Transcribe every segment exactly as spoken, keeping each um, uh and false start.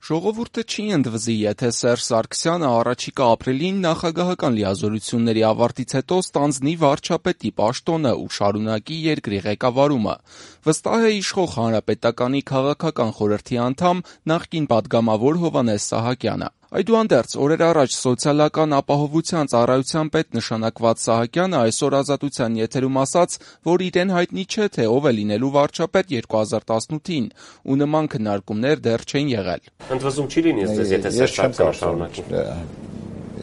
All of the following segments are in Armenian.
Ժողովուրդը չի ընդվզի, եթե Սերժ Սարգսյանը առաջիկա ապրիլին նախագահական լիազորությունների ավարտից հետո ստանձնի վարչապետի պաշտոնը ու շարունակի երկրի ղեկավարումը, վստահ է իշխող Հանրապետականի քաղաքական խորհրդի անդամ, նախկին պատգամավոր Հովհաննես Սահակյանը։ Այդուհանդերձ, օրեր առաջ Սոցիալական ապահովության ծառայության պետ նշանակված Սահակյանը այսօր Ազատության եթերում ասաց, որ իրեն հայտնի չէ, թե ով է լինելու վարչապետ երկու հազար տասնութին, ու նման քննարկումներ դեռ չեն եղել։ Ընդվզում չի լինի, եթե Սերժ Սարգսյանը շարունակի։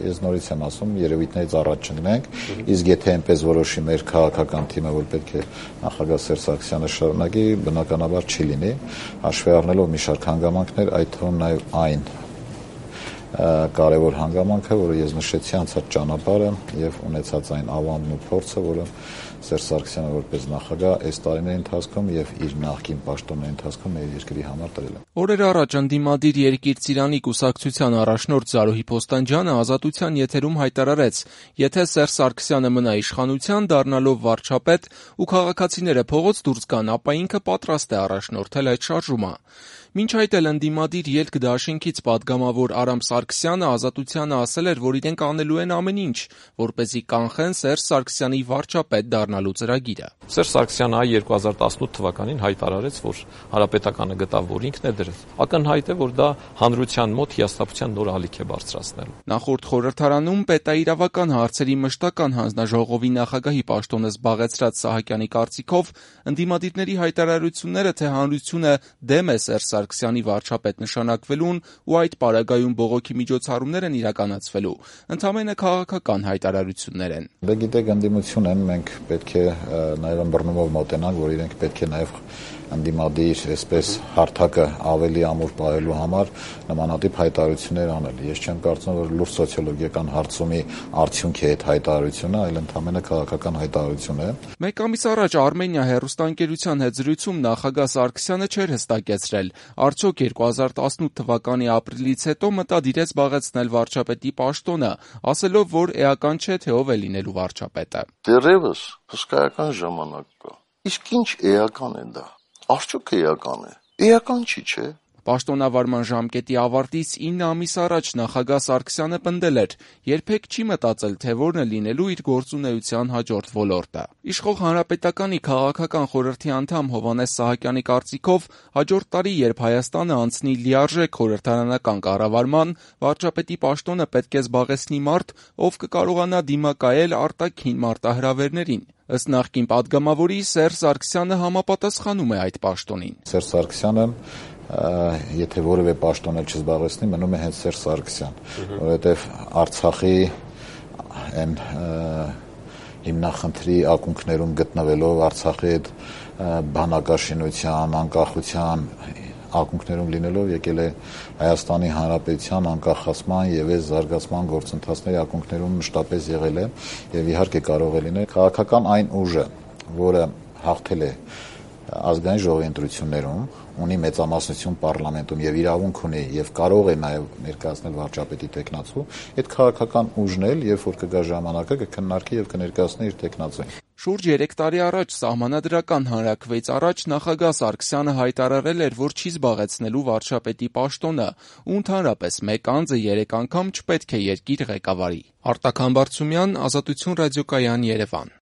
Ես նորից եմ ասում, երևույթներից առաջ չընկնենք, իսկ եթե այնպես որոշի մեր քաղաքական թիմը, որ պետք է նախագահ Սերժ Սարգսյանը շարունակի, բնականաբար չի լինի, հաշվի առնելով մի շարք հանգամանքներ, այդ թվում նաև այն կարևոր հանգամանքը, որը ես նշեցի, անցած ճանապարհը եւ ունեցած այն ավանդն ու փորձը, որը Սերժ Սարգսյանը որպես նախագահ այս տարիների ընթացքում եւ իր նախկին պաշտոնների ընթացքում մեր երկրի համար տրել է։ Օրեր առաջ ընդդիմադիր Երկիր Ծիրանի կուսակցության առաջնորդ Զարուհի Փոստանջյանը Ազատության եթերում հայտարարեց. եթե Սերժ Սարգսյանը մնա իշխանության, դառնալով վարչապետ, ու քաղաքացիները փողոց դուրս գան, ապա ինքը պատրաստ է առաջնորդել այդ շարժումը։ Մինչ այդ էլ ընդդիմադիր Ելք դաշինքից պատգամավոր Արամ Սարգսյանը Ազատությանը ասել էր, որ իրենք անելու են ամեն ինչ, որպեսզի կանխեն Սերժ Սարգսյանի վարչապետ դառնալու ծրագիրը։ Սերժ Սարգսյանը այ երկու հազար տասնութ թվականին հայտարարեց, որ Հանրապետականը գտավ, որ ինքն է դրել։ Ակնհայտ է, որ դա հանրության մոտ հիասթափության նոր ալիք է բարձրացնելու։ Նախորդ խորհրդարանում պետաիրավական հարցերի մշտական հանձնաժողովի նախագահի պաշտոնը զբաղեցրած Սահակյանի կարծիքով ընդդիմադիրների հայտարարությունները, թե հանրությունը դեմ է Սերժ Սարգսյանի վարչապետ նշանակվելուն ու այդ պարագայում բողոքի միջոցառումներ են իրականացվելու, ընդամենը քաղաքական հայտարարություններ են։ Դե գիտեք, ընդդիմություն են, մենք պետք է նաև ըմբռնումով մոտենանք, որ իրենք պետք է նաև ընդդիմադիր այսպես հարթակը ավելի ամուր պահելու համար նմանատիպ հայտարարություններ անել։ Ես չեմ կարծում, որ լուրջ սոցիոլոգիական հարցումի արդյունք է այդ հայտարարությունը, այլ ընդամենը քաղաքական հայտարարություն է։ Մեկ ամիս առաջ Արմենիա հեռուստաընկերության հետ զրույցում նախագահ Սարգսյանը չէր հստակեցրել, արդյոք երկու հազար տասնութ թվականի ապրիլից հետո մտադիր է զբաղեցնել վարչապետի պաշտոնը, ասելով, որ էական չէ, թե ով է լինելու վարչապետը։ Դեռևս հսկայական ժամանակ կա։ Իսկ ինչ էական է դա։ Արդյոք էական է։ Էական չի, չէ։ Պաշտոնավարման ժամկետի ավարտից ինը ամիս առաջ նախագահ Սարգսյանը պնդել էր. երբեք չի մտածել, թե որն է լինելու իր գործունեության հաջորդ ոլորտը։ Իշխող Հանրապետականի քաղաքական խորհրդի անդամ Հովհաննես Սահակյանի կարծիքով հաջորդ տարի, երբ Հայաստանը անցնի լիարժեք խորհրդարանական կառավարման, վարչապետի պաշտոնը պետք է զբաղեցնի մարդ, ով կկարողանա դիմակայել արտաքին մարտահրավերներին։ Ըստ նախկին պատգամավորի, Սերժ Սարգսյանը համապատասխանում է այդ պաշտոնին։ Սերժ Սարգսյանը եթե որևէ պաշտոն էլ չզբաղեցնի, մնում է հենց Սերժ Սարգսյան, որովհետև Արցախի այն հիմնախնդրի ակունքներում գտնվելով, Արցախի այդ բանակաշինության, անկախության ակունքներում լինելով եկել է Հայաստանի Հանրապետության անկախացման եւ այս զարգացման գործընթացների ակունքներում մշտապես եղել է եւ իհարկե կարող է լինել քաղաքական այն ուժը, որը հաղթել է ազգային ժողովի ընտրություններում, ունի մեծամասնություն պարլամենտում եւ իրավունք ունի եւ կարող է նաեւ ներկայացնել վարչապետի տեխնացու, այդ քաղաքական ուժն էլ, երբ որ կգա ժամանակը, կքննարկի եւ կներկայացնի իր տեխնացուին։ Շուրջ երեք տարի առաջ Սահմանադրական հանրաքվեից առաջ նախագահ Սարգսյանը հայտարարել էր, որ չի զբաղեցնելու վարչապետի պաշտոնը, ու ընդհանրապես մեկ անձը երեք անգամ չպետք է երկիր ղեկավարի։ Արտակ Համբարձումյան, Ազատություն ռադիոկայան, Երևան։